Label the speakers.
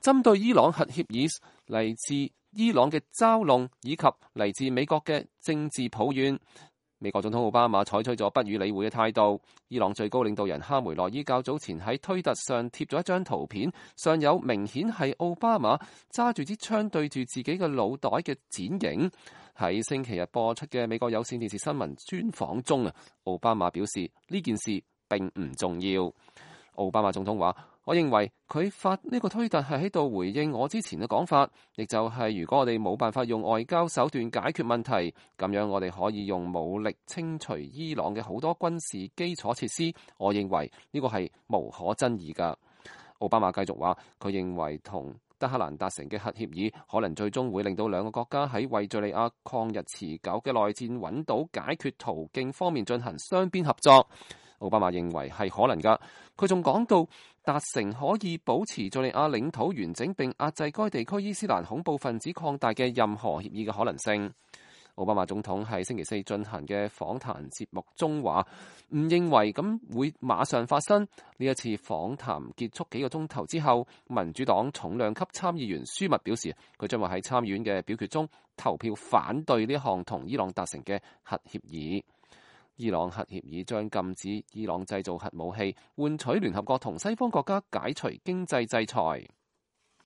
Speaker 1: 針對伊朗核協議嚟自伊朗嘅嘲弄以及嚟自美國嘅政治抱怨，美國總統奧巴馬採取咗不予理會嘅態度。伊朗最高領導人哈梅內伊較早前喺推特上貼咗一張圖片，上有明顯係奧巴馬揸住支槍對住自己嘅腦袋嘅剪影。喺星期日播出嘅美國有線電視新聞專訪中啊，奧巴馬表示呢件事並唔重要。奧巴馬總統話：我認為佢發呢個推特係喺度回應我之前嘅講法，亦就係如果我哋冇辦法用外交手段解決問題，咁樣我哋可以用武力清除伊朗嘅好多軍事基礎設施。我認為呢個係無可爭議㗎。奧巴馬繼續話：佢認為同德黑蘭達成嘅核協議可能最終會令到兩個國家喺為敘利亞抗日持久嘅內戰揾到解決途徑方面進行雙邊合作。奧巴馬認為係可能㗎。佢仲講到達成可以保持敘利亞領土完整並壓制該地區伊斯蘭恐怖分子擴大嘅任何協議嘅可能性。奧巴馬總統喺星期四進行嘅訪談節目中話，唔認為咁會馬上發生。呢一次訪談結束幾個鐘頭之後，民主黨重量級參議員舒密表示，佢將會喺參議院嘅表決中投票反對呢項同伊朗達成嘅核協議。伊朗核協議將禁止伊朗製造核武器，換取聯合國同西方國家解除經濟制裁。